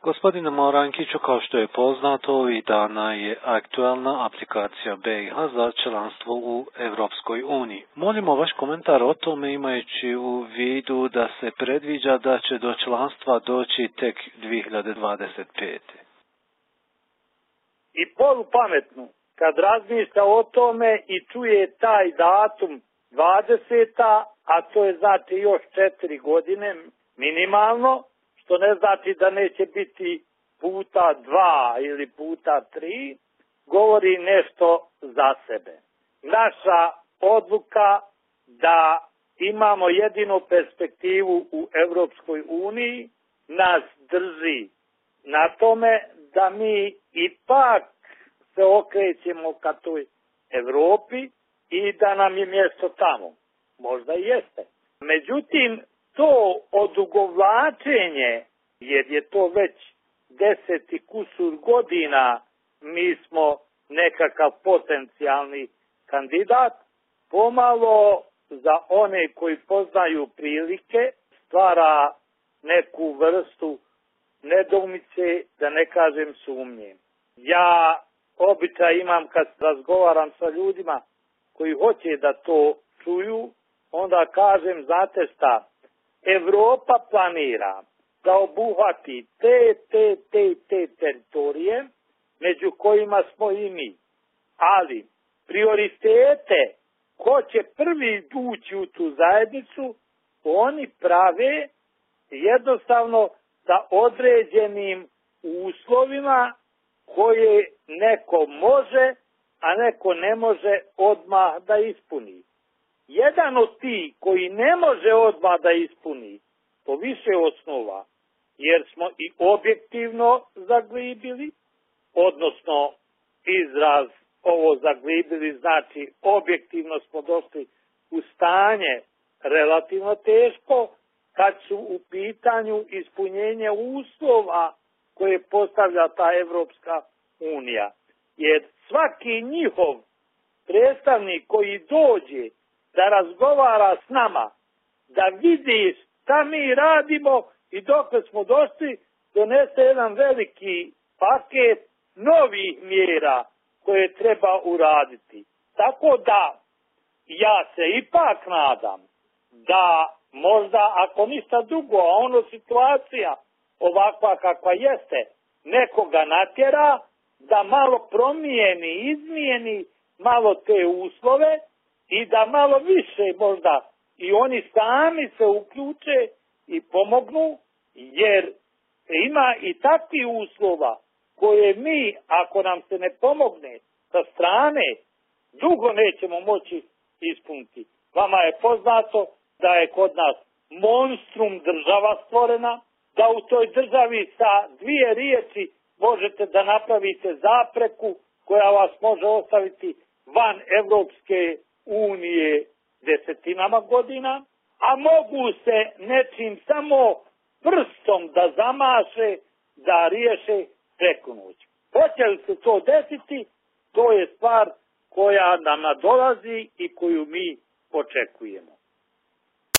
Gospodine Morankiću, kao što je poznato, ovih dana je aktualna aplikacija BiH za članstvo u Evropskoj uniji. Molimo vaš komentar o tome, imajući u vidu da se predviđa da će do članstva doći tek 2025. I polupametnu, kad razmišlja o tome i čuje taj datum 20. a to je znači još 4 godine minimalno, što ne znači da neće biti puta 2 ili puta 3, govori nešto za sebe. Naša odluka da imamo jedinu perspektivu u Evropskoj uniji nas drži na tome da mi ipak se okrećemo ka toj Evropi i da nam je mjesto tamo. Možda i jeste. Međutim, to odugovlačenje, jer je to već 10 kusur godina, mi smo nekakav potencijalni kandidat, pomalo za one koji poznaju prilike stvara neku vrstu nedoumice, da ne kažem sumnje. Ja običaj imam kad razgovaram sa ljudima koji hoće da to čuju, onda kažem, znate šta, Evropa planira da obuhvati te teritorije, među kojima smo i mi. Ali prioritete, ko će prvi ući u tu zajednicu, oni prave jednostavno sa određenim uslovima koje neko može, a neko ne može odmah da ispuni. Jedan od tih koji ne može odmah da ispuni po više osnova, jer smo i objektivno zaglibili, odnosno izraz ovo zaglibili znači objektivno smo došli u stanje relativno teško kad su u pitanju ispunjenje uslova koje postavlja ta Evropska unija. Jer svaki njihov predstavnik koji dođe da razgovara s nama, da vidi šta mi radimo i dokle smo došli, donese jedan veliki paket novih mjera koje treba uraditi. Tako da ja se ipak nadam da možda ako ništa drugo, a ono situacija ovakva kakva jeste, nekoga natjera da malo promijeni, izmijeni malo te uslove i da malo više možda i oni sami se uključe i pomognu, jer ima i takvi uslova koje mi, ako nam se ne pomogne sa strane, dugo nećemo moći ispuniti. Vama je poznato da je kod nas monstrum država stvorena, da u toj državi sa 2 riječi možete da napravite zapreku koja vas može ostaviti van Evropske unije desetinama godina, a mogu se nečim samo prstom da zamaše, da riješe preko noći. Hoće li se to desiti, to je stvar koja nam nadolazi i koju mi očekujemo.